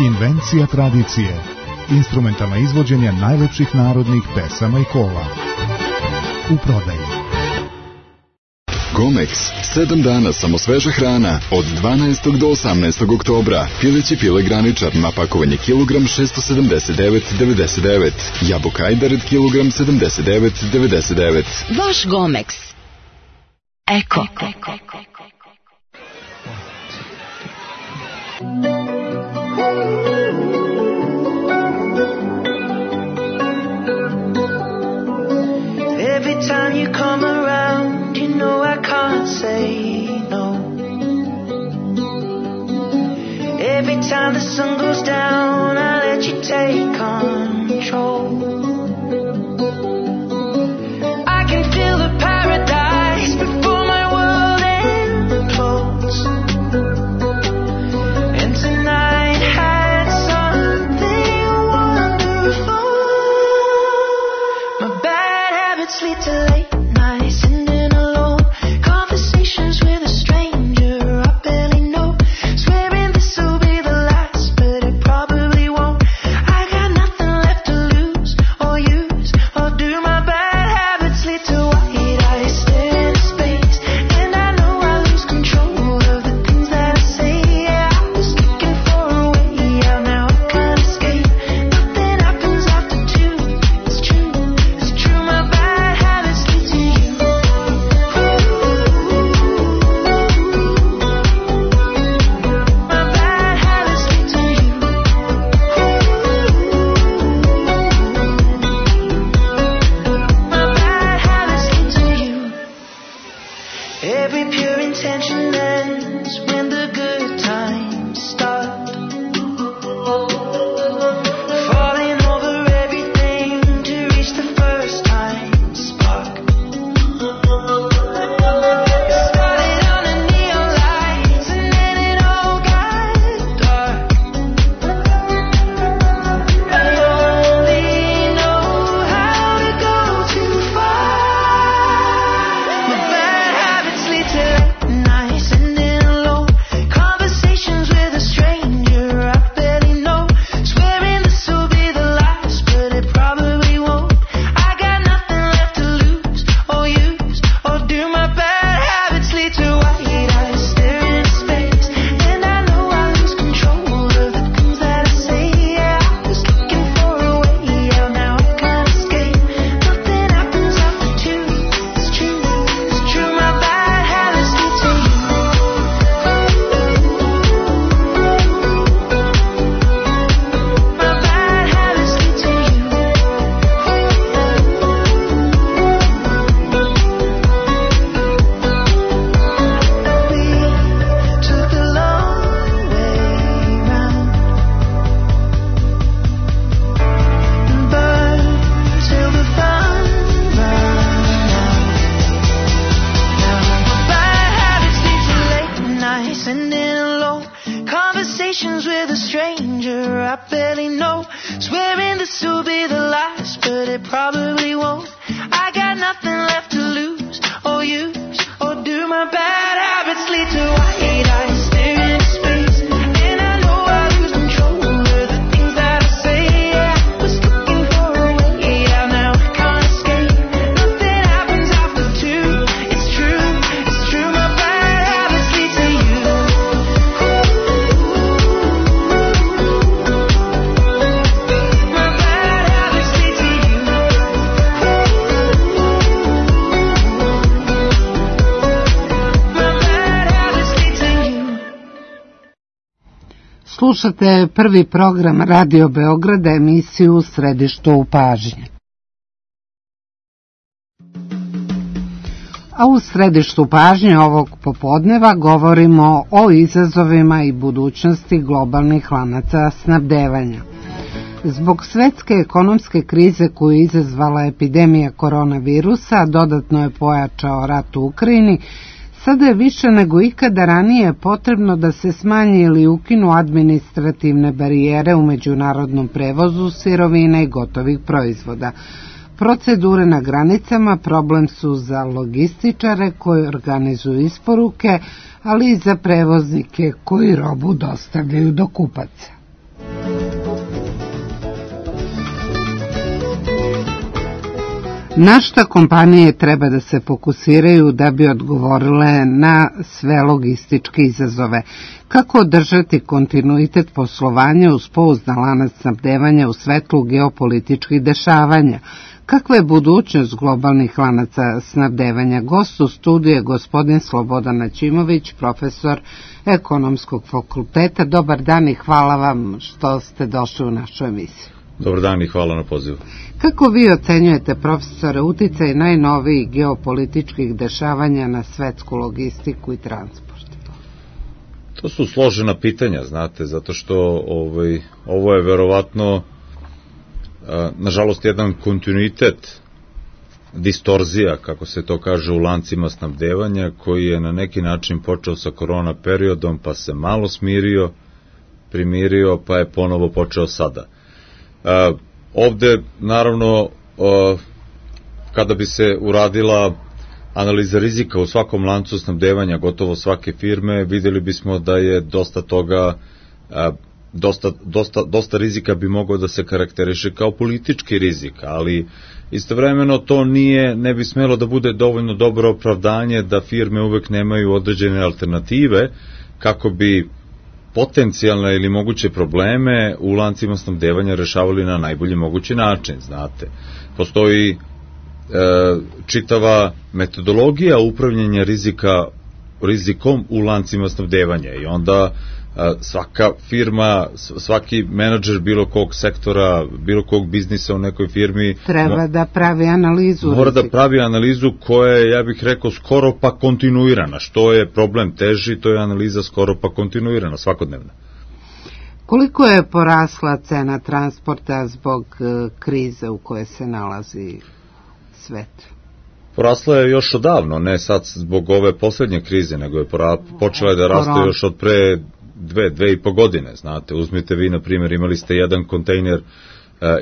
Invencija tradicije. Instrumentalna izvođenja najlepših narodnih pesama i kola. U prodaji. Gomex, sedam dana samo sveža hrana, od dvanaestog do osamnaestog oktobra. Pileći pile graničar, napakovanje kilogram šesto sedamdeset devet devedeset devet. Jabuka Ajdared kilogram sedamdeset devet devedeset devet. Vaš Gomex. Eko. Every time you come around, you know I can't say no. Every time the sun goes down, I let you take control. I can feel the paradise before my world implodes. And tonight had something wonderful. My bad habits lead to late nights, sitting alone, conversations with a stranger I barely know, swearing this will be the last, but it probably won't. I got nothing left to lose or use or do. My bad habits lead to white eyes staring into space, and I know I lose control of the things that I say. Yeah, I was looking for a way out, now I can't escape. Nothing happens after two. It's true, it's true. My bad habits lead to Slušate prvi program Radio Beograda, emisiju U središtu u pažnje. A u središtu pažnje ovog popodneva govorimo o izazovima i budućnosti globalnih lanaca snabdevanja. Zbog svetske ekonomske krize koju je izazvala epidemija koronavirusa, dodatno je pojačao rat u Ukrajini, sada je više nego ikada ranije potrebno da se smanji ili ukinu administrativne barijere u međunarodnom prevozu sirovina i gotovih proizvoda. Procedure na granicama problem su za logističare koji organizuju isporuke, ali i za prevoznike koji robu dostavljaju do kupaca. Na šta kompanije treba da se fokusiraju da bi odgovorile na sve logističke izazove? Kako održati kontinuitet poslovanja uz pouzdan lanac snabdevanja u svetlu geopolitičkih dešavanja? Kakva je budućnost globalnih lanaca snabdevanja? Gost u studiju je gospodin Slobodan Načimović, profesor Ekonomskog fakulteta. Dobar dan i hvala vam što ste došli u našu emisiju. Dobar dan i hvala na pozivu. Kako vi ocenjujete, profesore, uticaj najnovijih geopolitičkih dešavanja na svetsku logistiku i transport? To su složena pitanja, znate, zato što ovaj, ovo je verovatno, nažalost, jedan kontinuitet, distorzija, kako se to kaže, u lancima snabdevanja, koji je na neki način počeo sa korona periodom, pa se malo smirio, primirio, pa je ponovo počeo sada. Uh, ovde, naravno, uh, kada bi se uradila analiza rizika u svakom lancu snabdevanja gotovo svake firme, vidjeli bismo da je dosta toga, uh, dosta, dosta, dosta rizika bi mogao da se karakteriše kao politički rizik, ali istovremeno to nije, ne bi smelo da bude dovoljno dobro opravdanje da firme uvek nemaju određene alternative kako bi potencijalne ili moguće probleme u lancima snabdevanja rešavali na najbolji mogući način, znate. Postoji e, čitava metodologija upravljanja rizika, rizikom u lancima snabdevanja i onda e, svaka firma, svaki menadžer bilo kog sektora, bilo kog biznisa u nekoj firmi treba da pravi analizu mora rizika. da pravi analizu koja je, ja bih rekao, skoro pa kontinuirana. Što je problem teži, to je analiza skoro pa kontinuirana, svakodnevna. Koliko je porasla cena transporta zbog uh, krize u kojoj se nalazi svet? Porasla je još odavno, ne sad zbog ove poslednje krize, nego je pora, počela je da raste Koron. još od pre dve, dve i po godine, znate. Uzmite vi, na primjer, imali ste jedan kontejner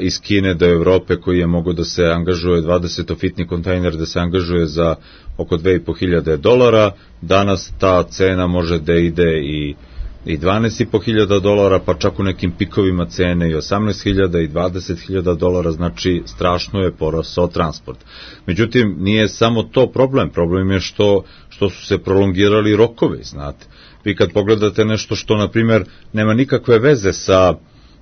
iz Kine do Evrope koji je mogao da se angažuje, dvadesetofitni kontejner da se angažuje za oko dve i po hiljade dolara, danas ta cena može da ide i, i dvanaest i po hiljada dolara, pa čak u nekim pikovima cene i osamnaest hiljada i dvadeset hiljada dolara, znači strašno je porasao transport. Međutim, nije samo to problem, problem je što, što su se prolongirali rokovi, znate. Vi kad pogledate nešto što, na primjer, nema nikakve veze sa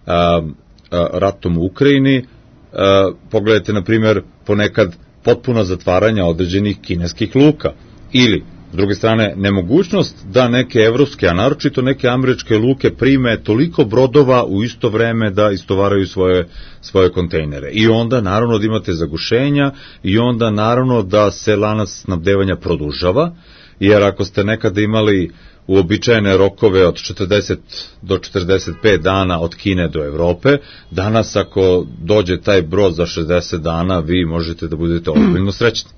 a, a, ratom u Ukrajini, a, pogledajte, na primjer, ponekad potpuno zatvaranja određenih kineskih luka. Ili, s druge strane, nemogućnost da neke evropske, a naročito neke američke luke prime toliko brodova u isto vreme da istovaraju svoje, svoje kontejnere. I onda, naravno, da imate zagušenja i onda, naravno, da se lanac snabdevanja produžava, jer ako ste nekada imali uobičajene rokove od četrdeset do četrdeset pet dana od Kine do Evrope, danas ako dođe taj brod za šezdeset dana, vi možete da budete ozbiljno srećni.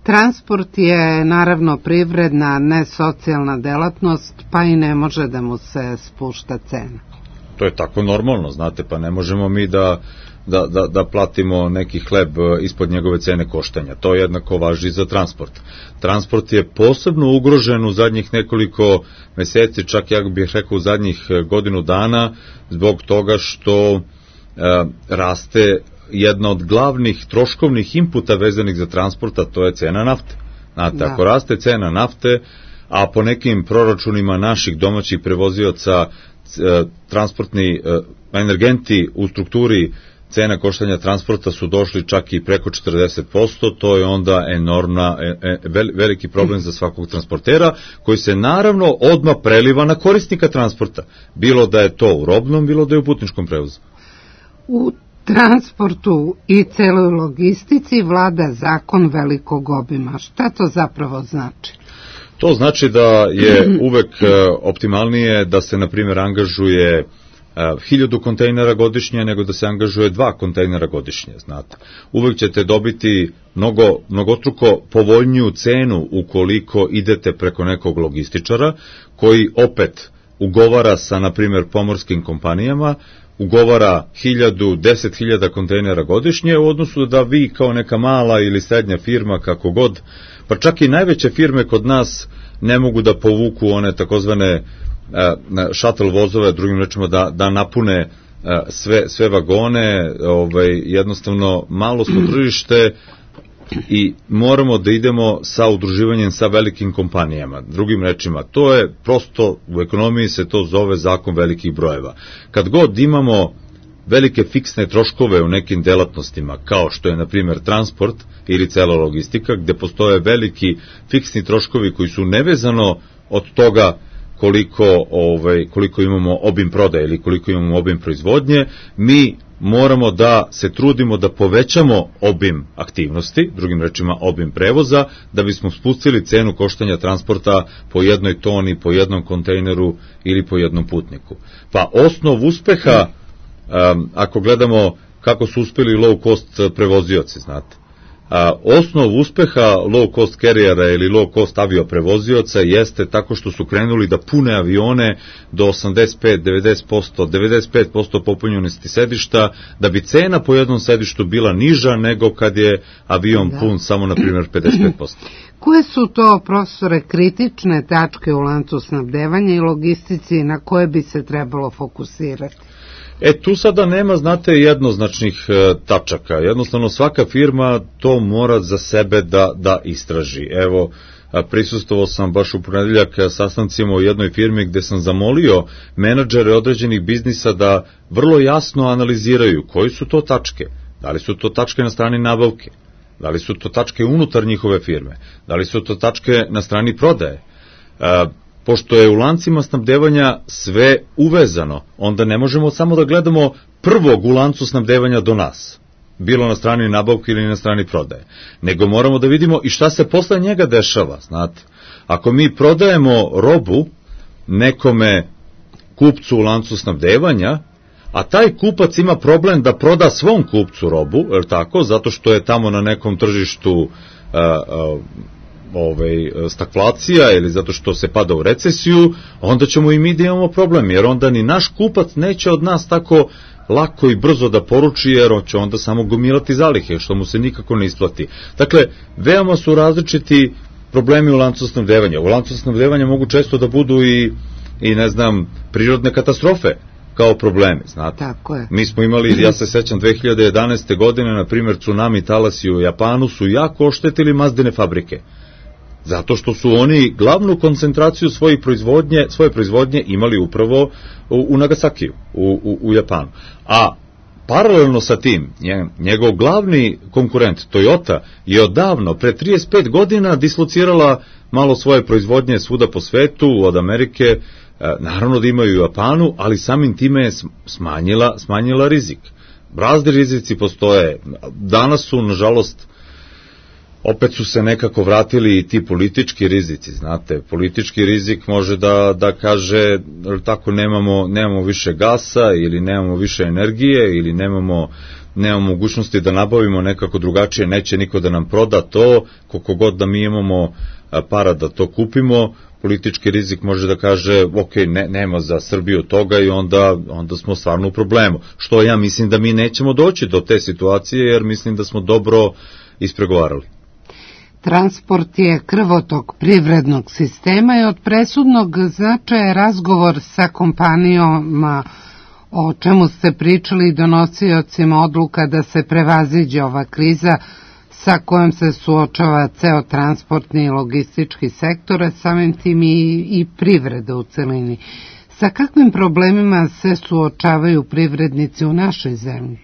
Transport je naravno privredna, ne socijalna delatnost, pa i ne može da mu se spušta cena. To je tako normalno, znate, pa ne možemo mi da, da, da, da platimo neki hleb ispod njegove cene koštanja. To jednako važi za transport. Transport je posebno ugrožen u zadnjih nekoliko meseci, čak ja bih rekao u zadnjih godinu dana, zbog toga što e, raste jedna od glavnih troškovnih inputa vezanih za transporta, to je cena nafte. Znate, da. Ako raste cena nafte, a po nekim proračunima naših domaćih prevozioca transportni energenti u strukturi cena koštanja transporta su došli čak i preko četrdeset posto, to je onda enormna, e, veliki problem za svakog transportera, koji se naravno odmah preliva na korisnika transporta, bilo da je to u robnom, bilo da je u putničkom prevozu. U transportu i celoj logistici vlada zakon velikog obima. Šta to zapravo znači? To znači da je uvek optimalnije da se, na primjer, angažuje hiljadu kontejnera godišnje nego da se angažuje dva kontejnera godišnje, znate. Uvek ćete dobiti mnogo, mnogostruko povoljniju cenu ukoliko idete preko nekog logističara koji opet ugovara sa, na primjer, pomorskim kompanijama, ugovara hiljadu, deset hiljada kontejnera godišnje u odnosu da vi kao neka mala ili srednja firma, kako god, pa čak i najveće firme kod nas ne mogu da povuku one takozvane shuttle vozove, drugim rečima da, da napune sve, sve vagone, ovaj, jednostavno malo smo tržište i moramo da idemo sa udruživanjem sa velikim kompanijama. Drugim rečima, to je prosto, u ekonomiji se to zove zakon velikih brojeva. Kad god imamo velike fiksne troškove u nekim delatnostima, kao što je, na primjer, transport ili cela logistika, gde postoje veliki fiksni troškovi koji su nevezano od toga koliko, ovaj, koliko imamo obim prodaje ili koliko imamo obim proizvodnje, mi moramo da se trudimo da povećamo obim aktivnosti, drugim rečima obim prevoza, da bismo spustili cenu koštanja transporta po jednoj toni, po jednom kontejneru ili po jednom putniku. Pa osnov uspeha, um, ako gledamo kako su uspeli low cost prevozioci, znate, A, osnov uspeha low cost carriera ili low cost avioprevozioca jeste tako što su krenuli da pune avione do osamdeset pet do devedeset posto, devedeset pet posto popunjenosti sedišta, da bi cena po jednom sedištu bila niža nego kad je avion da. pun samo, na primjer, pedeset pet posto. Koje su to, profesore, kritične tačke u lancu snabdevanja i logistici na koje bi se trebalo fokusirati? E, tu sada nema, znate, jednoznačnih e, tačaka. Jednostavno, svaka firma to mora za sebe da, da istraži. Evo, prisustvovao sam baš u ponedeljak sastancima u jednoj firmi gde sam zamolio menadžere određenih biznisa da vrlo jasno analiziraju koji su to tačke. Da li su to tačke na strani nabavke? Da li su to tačke unutar njihove firme? Da li su to tačke na strani prodaje? E, Pošto je u lancima snabdevanja sve uvezano, onda ne možemo samo da gledamo prvog u lancu snabdevanja do nas, bilo na strani nabavke ili na strani prodaje, nego moramo da vidimo i šta se posle njega dešava, znate. Ako mi prodajemo robu nekome kupcu u lancu snabdevanja, a taj kupac ima problem da proda svom kupcu robu, je li tako, zato što je tamo na nekom tržištu a, a, Ovaj, stagflacija ili zato što se pada u recesiju, onda ćemo i mi da imamo problem, jer onda ni naš kupac neće od nas tako lako i brzo da poruči, jer on će onda samo gomilati zalihe, što mu se nikako ne isplati. Dakle, veoma su različiti problemi u lancu snabdevanja. U lancu snabdevanja mogu često da budu i, i ne znam, prirodne katastrofe kao problemi, znate. Tako je. Mi smo imali, ja se sećam, dve hiljade jedanaeste. godine, na primjer, tsunami talasi u Japanu su jako oštetili Mazdine fabrike. Zato što su oni glavnu koncentraciju svoje proizvodnje, svoje proizvodnje imali upravo u, u Nagasakiju, u, u, u Japanu. A paralelno sa tim, njegov glavni konkurent Toyota je odavno, pre trideset pet godina, dislocirala malo svoje proizvodnje svuda po svetu, od Amerike, naravno da imaju u Japanu, ali samim time je smanjila, smanjila rizik. Razni rizici postoje. Danas su, nažalost, opet su se nekako vratili i ti politički rizici, znate, politički rizik može da, da kaže, tako, nemamo, nemamo više gasa ili nemamo više energije ili nemamo, nemamo mogućnosti da nabavimo nekako drugačije, neće niko da nam proda to, koliko god da mi imamo para da to kupimo, politički rizik može da kaže, ok, ne, nema za Srbiju toga i onda, onda smo stvarno u problemu. Što ja mislim da mi nećemo doći do te situacije, jer mislim da smo dobro ispregovarali. Transport je krvotok privrednog sistema i od presudnog značaja razgovor sa kompanijama, o čemu ste pričali, donosiocima odluka da se prevaziđe ova kriza sa kojom se suočava ceo transportni i logistički sektor, a samim tim i, i privreda u celini. Sa kakvim problemima se suočavaju privrednici u našoj zemlji?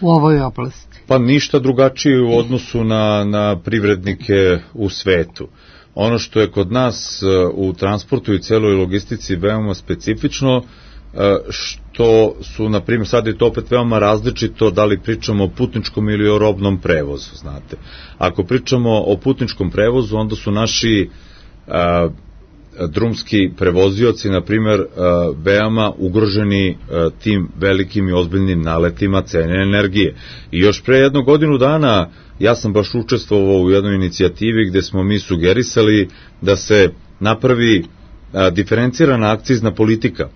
u ovoj oblasti? Pa ništa drugačije u odnosu na, na privrednike u svetu. Ono što je kod nas u transportu i celoj logistici veoma specifično, što su, na primjer, sad je to opet veoma različito da li pričamo o putničkom ili o robnom prevozu, znate. Ako pričamo o putničkom prevozu, onda su naši a, drumski prevozioci, na primjer, a, veoma ugroženi a, tim velikim i ozbiljnim naletima cene energije. I još pre jednu godinu dana ja sam baš učestvovao u jednoj inicijativi gde smo mi sugerisali da se napravi a, diferencirana akcizna politika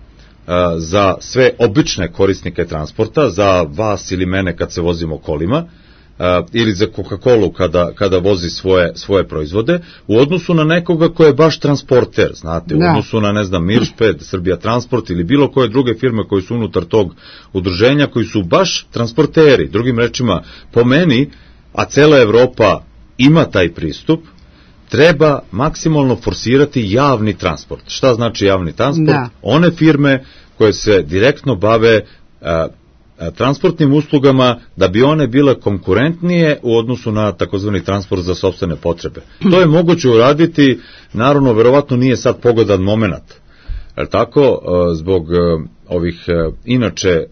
za sve obične korisnike transporta, za vas ili mene kad se vozimo kolima, ili za Coca-Colu kada, kada vozi svoje, svoje proizvode, u odnosu na nekoga ko je baš transporter, znate, u da. odnosu na, ne znam, Mirsped, Srbija Transport ili bilo koje druge firme koji su unutar tog udruženja, koji su baš transporteri. Drugim rečima, po meni, a cela Evropa ima taj pristup, treba maksimalno forsirati javni transport. Šta znači javni transport? Da. One firme koje se direktno bave a, a, transportnim uslugama, da bi one bile konkurentnije u odnosu na takozvani transport za sopstvene potrebe. To je moguće uraditi, naravno, verovatno nije sad pogodan moment. Jer tako, zbog ovih inače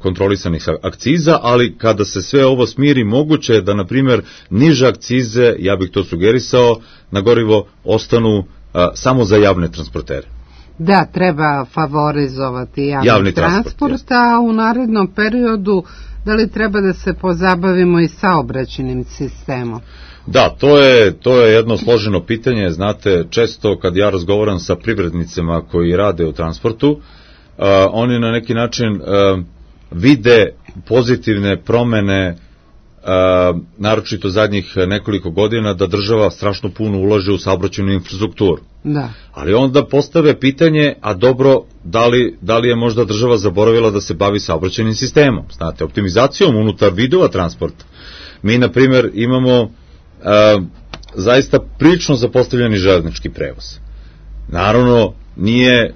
kontrolisanih akciza, ali kada se sve ovo smiri, moguće je da, na primjer, niže akcize, ja bih to sugerisao, na gorivo ostanu samo za javne transportere. Da, treba favorizovati javni, javni transport, transport a u narednom periodu da li treba da se pozabavimo i saobraćajnim sistemom? Da, to je, to je jedno složeno pitanje, znate, često kad ja razgovaram sa privrednicima koji rade u transportu, uh, oni na neki način uh, vide pozitivne promene, uh, naročito zadnjih nekoliko godina, da država strašno puno ulaže u saobraćajnu infrastrukturu. Da. Ali onda postave pitanje, a dobro, da li, da li je možda država zaboravila da se bavi saobraćajnim sistemom, znate, optimizacijom unutar vidova transporta. Mi, na primjer, imamo a, zaista prilično zapostavljeni železnički prevoz. Naravno, nije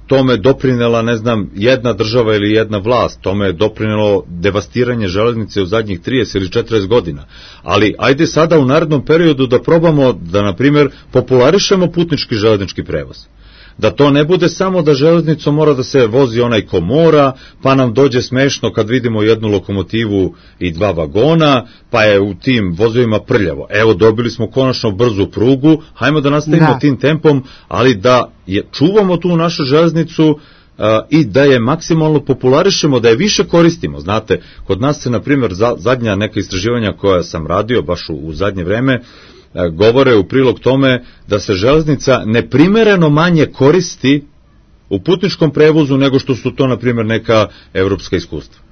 tome doprinela, ne znam, jedna država ili jedna vlast, tome je doprinelo devastiranje železnice u zadnjih trideset ili četrdeset godina. Ali ajde sada u narednom periodu da probamo da, na primjer, popularišemo putnički železnički prevoz. Da to ne bude samo da železnicom mora da se vozi onaj ko mora, pa nam dođe smešno kad vidimo jednu lokomotivu i dva vagona, pa je u tim vozovima prljavo. Evo, dobili smo konačno brzu prugu, hajmo da nastavimo da. tim tempom, ali da je, čuvamo tu našu železnicu uh, i da je maksimalno popularišemo, da je više koristimo. Znate, kod nas se, na primjer, za, zadnja neka istraživanja koja sam radio, baš u, u zadnje vreme, govore u prilog tome da se železnica neprimereno manje koristi u putničkom prevozu nego što su to, na primjer, neka evropska iskustva.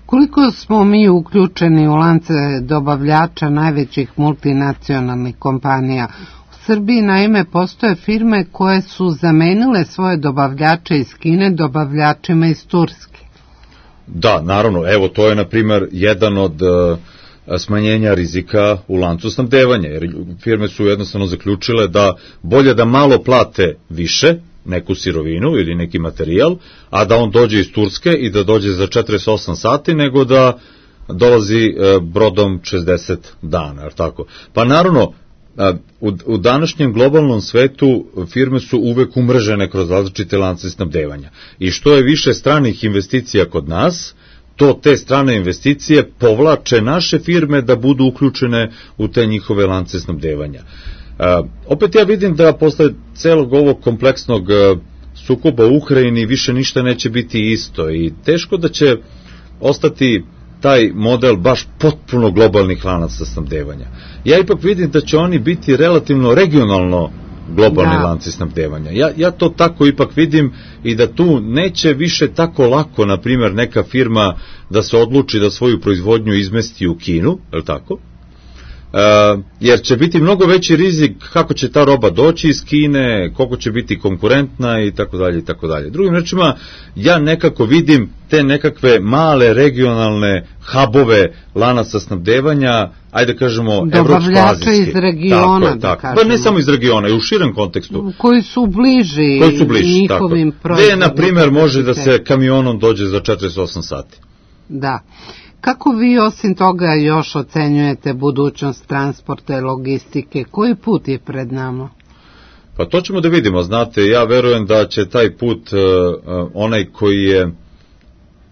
Koliko smo mi uključeni u lance dobavljača najvećih multinacionalnih kompanija? U Srbiji, naime, postoje firme koje su zamenile svoje dobavljače iz Kine dobavljačima iz Turske. Da, naravno, evo, to je, na primjer, jedan od smanjenja rizika u lancu snabdevanja, jer firme su jednostavno zaključile da bolje da malo plate više neku sirovinu ili neki materijal, a da on dođe iz Turske i da dođe za četrdeset osam sati, nego da dolazi brodom šezdeset dana, jer tako. Pa naravno, u, u današnjem globalnom svetu firme su uvek umrežene kroz različite lance snabdevanja. I što je više stranih investicija kod nas, to te strane investicije povlače naše firme da budu uključene u te njihove lance snabdevanja. Uh, opet ja vidim da posle celog ovog kompleksnog uh, sukoba u Ukrajini više ništa neće biti isto i teško da će ostati taj model baš potpuno globalnih lanaca snabdevanja. Ja ipak vidim da će oni biti relativno regionalno globalni da. lanci snabdevanja. Ja, ja to tako ipak vidim i da tu neće više tako lako, na primjer, neka firma da se odluči da svoju proizvodnju izmesti u Kinu, je li tako? Uh, jer će biti mnogo veći rizik kako će ta roba doći iz Kine, koliko će biti konkurentna i tako dalje i tako dalje. Drugim rečima, ja nekako vidim te nekakve male regionalne hubove lanaca snabdevanja, ajde kažemo evropsko-azijski. Iz regiona, tako je, da kažemo. Pa ne samo iz regiona, i u širem kontekstu. Koji su bliži, koji su bliži njihovim proizvodima. Gde, na primjer, može da se kamionom dođe za četrdeset osam sati. Da. Kako vi osim toga još ocenjujete budućnost transporta i logistike? Koji put je pred nama? Pa to ćemo da vidimo, znate, ja verujem da će taj put, uh, onaj koji je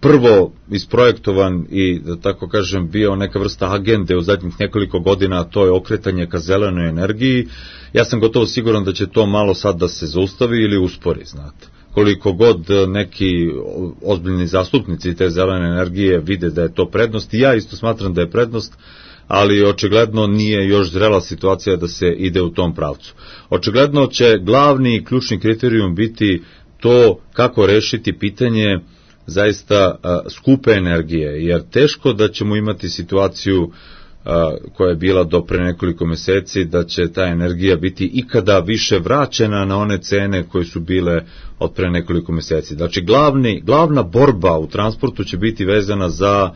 prvo isprojektovan i, da tako kažem, bio neka vrsta agende u zadnjih nekoliko godina, a to je okretanje ka zelenoj energiji, ja sam gotovo siguran da će to malo sad da se zaustavi ili uspori, znate. Koliko god neki ozbiljni zastupnici te zelene energije vide da je to prednost, i ja isto smatram da je prednost, ali očigledno nije još zrela situacija da se ide u tom pravcu. Očigledno će glavni i ključni kriterijum biti to kako rešiti pitanje zaista a, skupe energije, jer teško da ćemo imati situaciju a, koja je bila do pre nekoliko meseci, da će ta energija biti ikada više vraćena na one cene koje su bile od pre nekoliko meseci. Znači, glavni, glavna borba u transportu će biti vezana za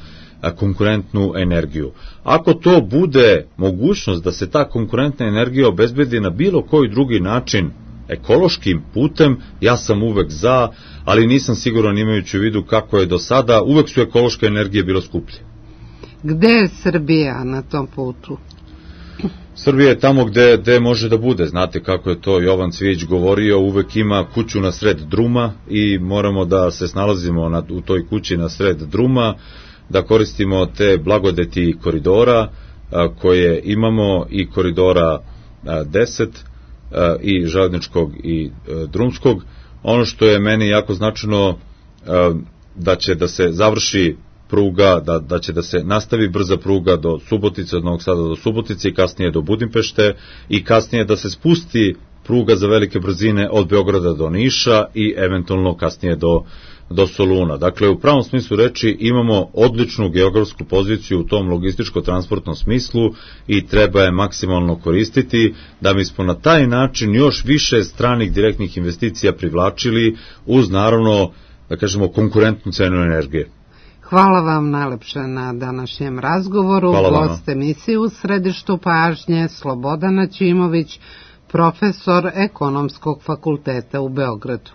konkurentnu energiju. Ako to bude mogućnost da se ta konkurentna energija obezbedi na bilo koji drugi način ekološkim putem, ja sam uvek za, ali nisam siguran imajući u vidu kako je do sada, uvek su ekološke energije bilo skuplje. Gde je Srbija na tom putu? Srbija je tamo gde, gde može da bude, znate kako je to Jovan Cvijić govorio, uvek ima kuću na sred druma i moramo da se snalazimo na, u toj kući na sred druma, da koristimo te blagodeti koridora a, koje imamo, i koridora a, deset a, i železničkog i a, drumskog. Ono što je meni jako značajno, a, da će da se završi pruga, da, da će da se nastavi brza pruga do Subotice, od Novog Sada do Subotice i kasnije do Budimpešte, i kasnije da se spusti pruga za velike brzine od Beograda do Niša i eventualno kasnije do do Soluna. Dakle, u pravom smislu reči imamo odličnu geografsku poziciju u tom logističko-transportnom smislu i treba je maksimalno koristiti da mi smo na taj način još više stranih direktnih investicija privlačili uz, naravno, da kažemo, konkurentnu cenu energije. Hvala vam najlepše na današnjem razgovoru. Gost emisije u središtu pažnje Slobodan Načimović, profesor Ekonomskog fakulteta u Beogradu.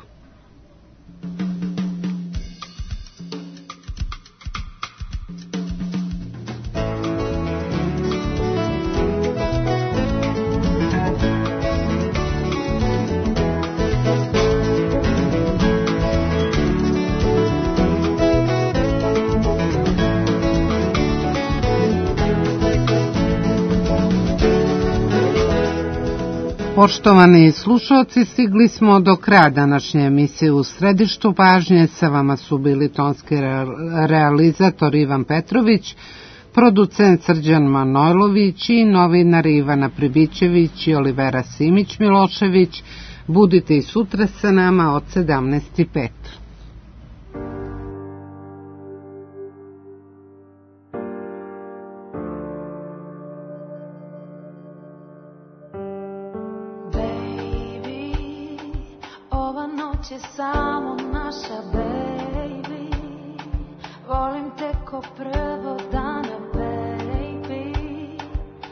Poštovani slušalci, stigli smo do kraja današnje emisije u središtu pažnje. Sa vama su bili tonski realizator Ivan Petrović, producent Srđan Manojlović i novinari Ivana Pribićević i Olivera Simić-Milošević. Budite i sutra sa nama od sedamnaest i pet. Samo naša baby, volim te ko prvo dana baby,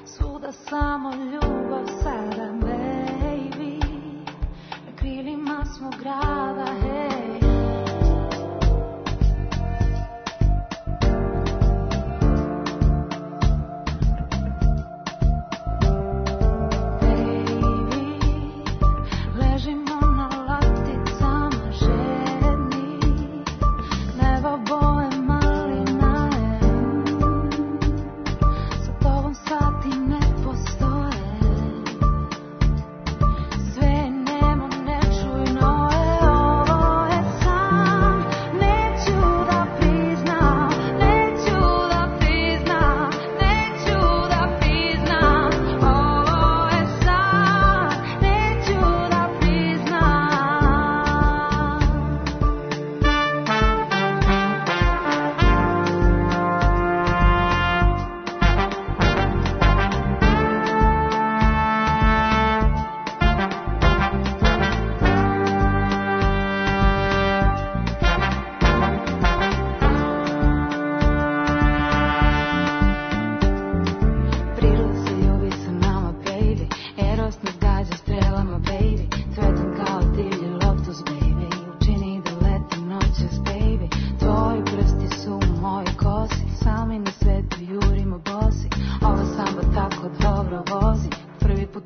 svuda samo ljubav sada baby, na krilima smo grada hej. Sati ne postoje.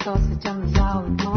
se osjećam zauvek moja.